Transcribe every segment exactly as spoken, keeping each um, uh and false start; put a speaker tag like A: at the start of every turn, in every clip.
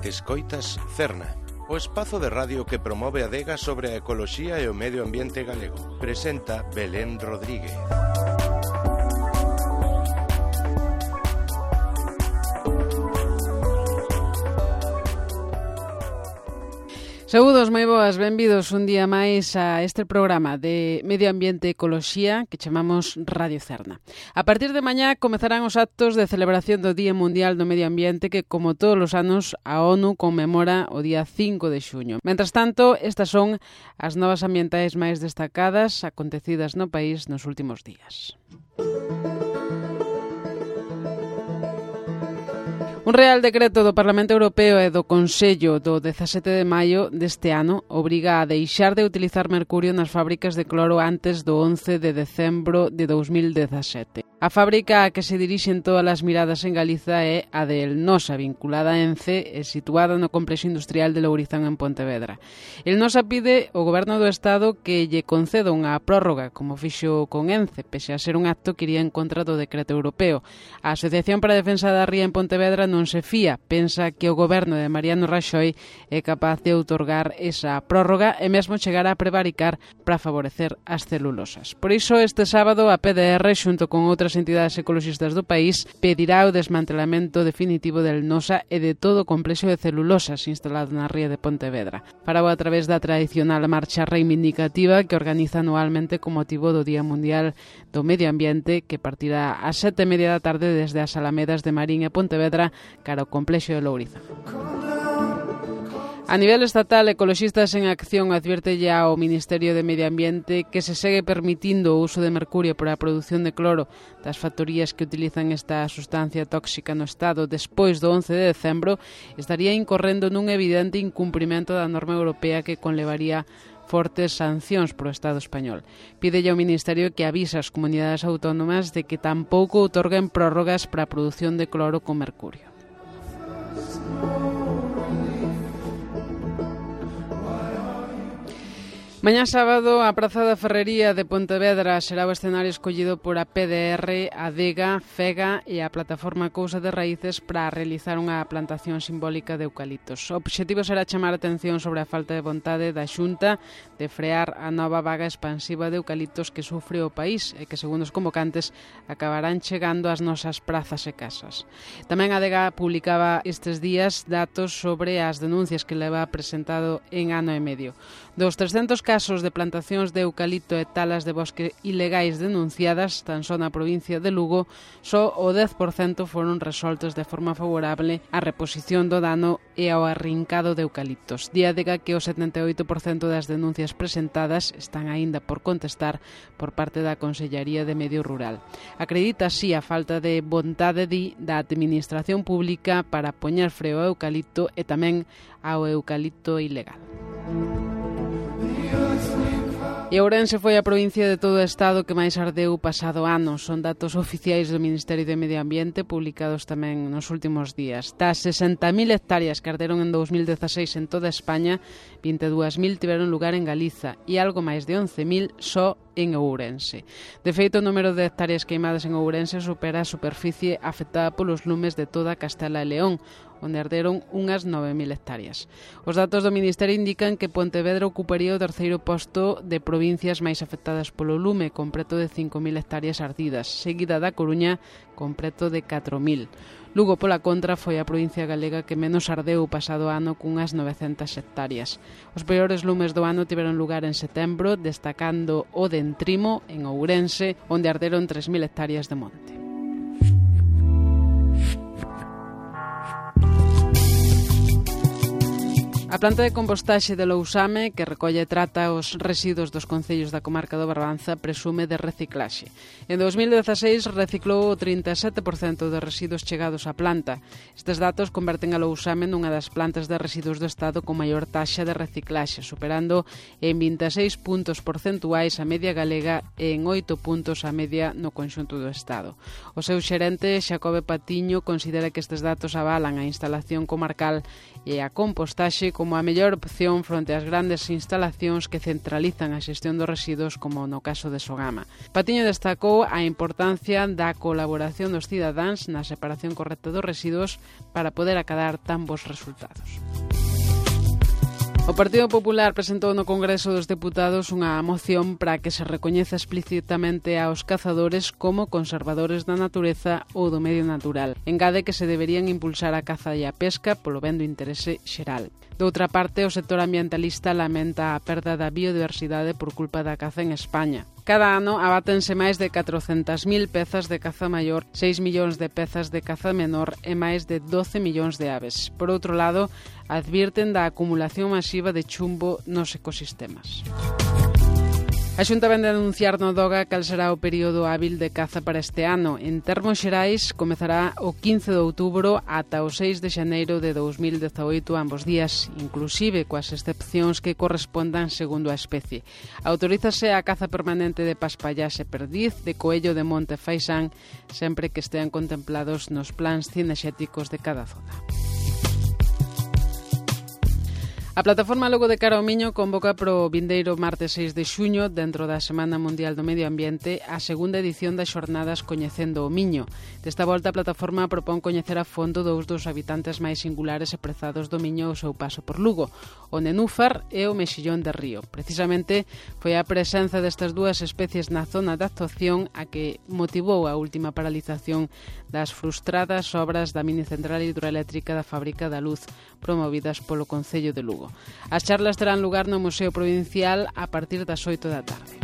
A: Escoitas Cerna, o espazo de radio que promove a adega sobre a ecoloxía e o medio ambiente galego. Presenta Belén Rodríguez.
B: Saúdos, moi boas, benvidos un día máis a este programa de Medio Ambiente e Ecoloxía que chamamos Radio Cerna. A partir de mañá comezarán os actos de celebración do Día Mundial do Medio Ambiente que, como todos os anos, a ONU conmemora o día cinco de xuño. Mentras tanto, estas son as novas ambientais máis destacadas acontecidas no país nos últimos días. Un Real Decreto do Parlamento Europeo e do Consello do dezasete de maio deste ano obriga a deixar de utilizar mercurio nas fábricas de cloro antes do once de decembro de dous mil dezasete. A fábrica a que se dirixen todas as miradas en Galiza é a de El Nosa, vinculada a Ence e situada no complexo industrial de Lourizán en Pontevedra. El Nosa pide ao Goberno do Estado que lle conceda unha prórroga, como fixo con Ence, pese a ser un acto que iría en contra do decreto europeo. A Asociación para a Defensa da Ría en Pontevedra non se fía, pensa que o Goberno de Mariano Raxoi é capaz de outorgar esa prórroga e mesmo chegar a prevaricar para favorecer as celulosas. Por iso, este sábado, a P D R, xunto con outras entidades ecoloxistas do país, pedirá o desmantelamento definitivo del Nosa e de todo o complexo de celulosas instalado na ría de Pontevedra. Farao a través da tradicional marcha reivindicativa que organiza anualmente con motivo do Día Mundial do Medio Ambiente, que partirá ás sete e media da tarde desde as Alamedas de Marín e Pontevedra cara ao complexo de Lourizán. A nivel estatal, Ecoloxistas en Acción advierte ya ao Ministerio de Medio Ambiente que se segue permitindo o uso de mercurio para a produción de cloro das factorías que utilizan esta sustancia tóxica no Estado despois do once de decembro, estaría incorrendo nun evidente incumprimento da norma europea que conlevaría fortes sancións pro Estado español. Pídelle ao Ministerio que avise ás comunidades autónomas de que tampouco outorguen prórrogas para a produción de cloro con mercurio. Mañá sábado, a Praza da Ferrería de Pontevedra será o escenario escollido por a P D R, a Adega, FEGA e a Plataforma Cousa de Raíces para realizar unha plantación simbólica de eucaliptos. O obxectivo será chamar a atención sobre a falta de vontade da Xunta de frear a nova vaga expansiva de eucaliptos que sufre o país e que, segundo os convocantes, acabarán chegando ás nosas prazas e casas. Tamén a Adega publicaba estes días datos sobre as denuncias que leva presentado en ano e medio. Dos trescentos casos de plantacións de eucalipto e talas de bosque ilegais denunciadas tan só na provincia de Lugo, só o dez por cento foron resoltos de forma favorable á reposición do dano e ao arrincado de eucaliptos. Diadega que o setenta e oito por cento das denuncias presentadas están aínda por contestar por parte da Consellaría de Medio Rural. Acredita así a falta de vontade di da administración pública para poñer freo ao eucalipto e tamén ao eucalipto ilegal. E Ourense foi a provincia de todo o Estado que máis ardeu pasado ano. Son datos oficiais do Ministerio de Medio Ambiente publicados tamén nos últimos días. Das sesenta mil hectáreas que arderon en dous mil dezaseis en toda España, vinte e dúas mil tiveron lugar en Galiza e algo máis de once mil só en Ourense. De feito, o número de hectáreas queimadas en Ourense supera a superficie afectada polos lumes de toda Castela e León, onde arderon unhas nove mil hectáreas. Os datos do Ministerio indican que Pontevedra ocuparía o terceiro posto de provincias máis afectadas polo lume, con preto de cinco mil hectáreas ardidas, seguida da Coruña, con preto de catro mil. Lugo, pola contra, foi a provincia galega que menos ardeu o pasado ano cunhas novecentas hectáreas. Os peores lumes do ano tiveron lugar en setembro, destacando o de Entrimo, en Ourense, onde arderon tres mil hectáreas de monte. A planta de compostaxe de Lousame, que recolle e trata os residuos dos concellos da comarca do Barbanza, presume de reciclaxe. En dous mil dezaseis reciclou o trinta e sete por cento de residuos chegados á planta. Estes datos converten a Lousame nunha das plantas de residuos do Estado con maior taxa de reciclaxe, superando en vinte e seis puntos porcentuais a media galega e en oito puntos a media no conxunto do Estado. O seu xerente, Xacobe Patiño, considera que estes datos avalan a instalación comarcal e a compostaxe como como a mellor opción fronte ás grandes instalacións que centralizan a xestión dos residuos, como no caso de Sogama. Patiño destacou a importancia da colaboración dos cidadáns na separación correcta dos residuos para poder acadar tan bons resultados. O Partido Popular presentou no Congreso dos Deputados unha moción para que se recoñeza explícitamente aos cazadores como conservadores da natureza ou do medio natural. Engade que se deberían impulsar a caza e a pesca polo ben do interese xeral. Doutra parte, o sector ambientalista lamenta a perda da biodiversidade por culpa da caza en España. Cada ano abátense máis de catrocentas mil pezas de caza maior, seis millóns de pezas de caza menor e máis de doce millóns de aves. Por outro lado, advirten da acumulación masiva de chumbo nos ecosistemas. A Xunta vende a anunciar no DOGA cal será o período hábil de caza para este ano. En termos xerais, comezará o quince de outubro ata o seis de xaneiro de dous mil dezaoito ambos días, inclusive coas excepcións que correspondan segundo a especie. Autorízase a caza permanente de paspallás e perdiz, de coello de monte e faisán, sempre que estean contemplados nos plans cinexéticos de cada zona. A plataforma Logo de Cara ao Miño convoca pro vindeiro martes seis de xuño, dentro da Semana Mundial do Medio Ambiente, a segunda edición das xornadas Coñecendo o Miño. Desta volta, a plataforma propón coñecer a fondo dous dos habitantes máis singulares e prezados do Miño ao seu paso por Lugo, o nenúfar e o mexillón de río. Precisamente, foi a presenza destas dúas especies na zona de actuación a que motivou a última paralización das frustradas obras da mini central hidroeléctrica da Fábrica da Luz, promovidas polo Concello de Lugo. As charlas terán lugar no Museo Provincial a partir das oito da tarde.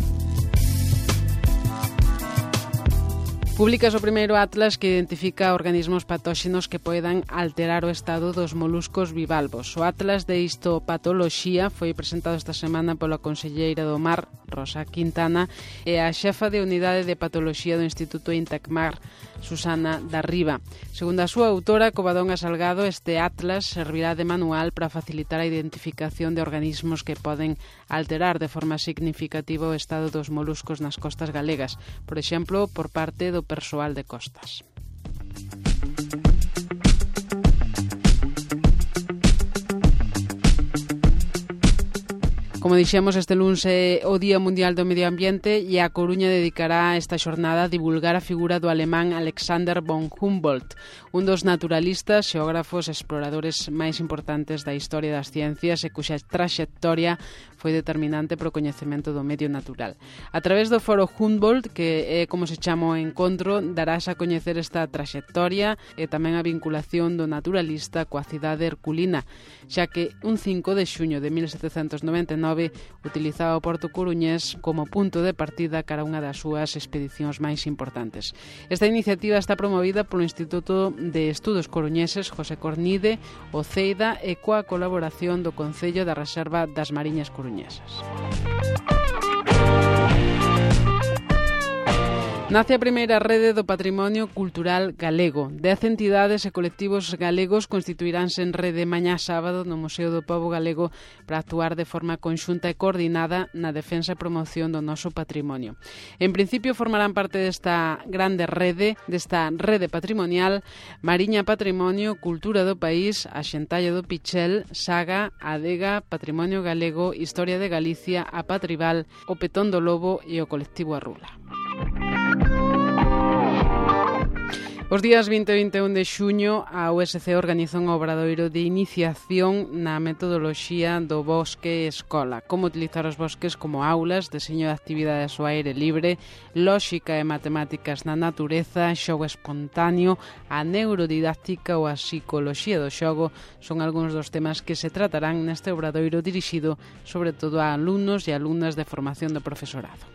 B: Publicas o primeiro atlas que identifica organismos patóxenos que poidan alterar o estado dos moluscos bivalvos. O atlas de histopatoloxía foi presentado esta semana pola conselleira do Mar, Rosa Quintana, e a xefa de unidade de patoloxía do Instituto Intacmar, Susana Darriba. Segundo a súa autora, Covadonga Salgado, este atlas servirá de manual para facilitar a identificación de organismos que poden alterar de forma significativa o estado dos moluscos nas costas galegas, por exemplo, por parte do persoal de costas. Como dixemos, este luns é o Día Mundial do Medio Ambiente e a Coruña dedicará esta xornada a divulgar a figura do alemán Alexander von Humboldt, un dos naturalistas, xeógrafos e exploradores máis importantes da historia das ciencias e cuxa traxectoria foi determinante para o coñecemento do medio natural. A través do foro Humboldt, que é como se chama o encontro, darás a coñecer esta traxectoria e tamén a vinculación do naturalista coa cidade herculina, xa que un cinco de xuño de mil setecentos noventa e nove utilizaba o Porto Coruñés como punto de partida cara a unha das súas expedicións máis importantes. Esta iniciativa está promovida polo Instituto de Estudos Coruñeses José Cornide, o CEIDA, e coa colaboración do Concello da Reserva das Mariñas Coruñesas. Nace a primeira rede do patrimonio cultural galego. Dez entidades e colectivos galegos constituiránse en rede mañá sábado no Museo do Pobo Galego para actuar de forma conxunta e coordinada na defensa e promoción do noso patrimonio. En principio formarán parte desta grande rede, desta rede patrimonial, Mariña Patrimonio, Cultura do País, a Xentalla do Pichel, Saga, Adega, Patrimonio Galego, Historia de Galicia, a Patrival, o Petón do Lobo e o colectivo Arrula. Os días vinte e vinte e un de xuño, a U S C organizou un obradoiro de iniciación na metodoloxía do bosque escola, como utilizar os bosques como aulas, deseño de actividades ao aire libre, lóxica e matemáticas na natureza, xogo espontáneo, a neurodidáctica ou a psicoloxía do xogo son algúns dos temas que se tratarán neste obradoiro dirixido sobre todo a alumnos e alumnas de formación do profesorado.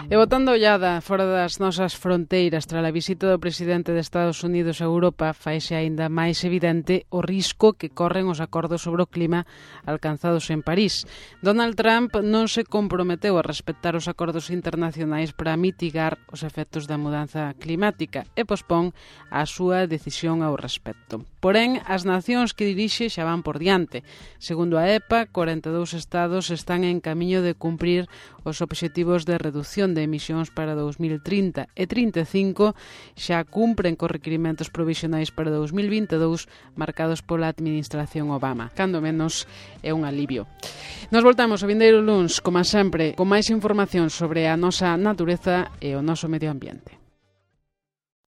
B: E botando ollada fora das nosas fronteiras tras a visita do presidente de Estados Unidos a Europa, faise aínda máis evidente o risco que corren os acordos sobre o clima alcanzados en París. Donald Trump non se comprometeu a respetar os acordos internacionais para mitigar os efectos da mudanza climática e pospón a súa decisión ao respecto. Porén, as nacións que dirixe xa van por diante. Segundo a E P A, corenta e dous estados están en camiño de cumprir os obxectivos de reducción de emisións para dous mil trinta e trinta e cinco xa cumpren cos requirimentos provisionais para dous mil vinte e dous marcados pola administración Obama. Cando menos é un alivio. Nos voltamos o vindeiro luns, como sempre, con máis información sobre a nosa natureza e o noso medio ambiente.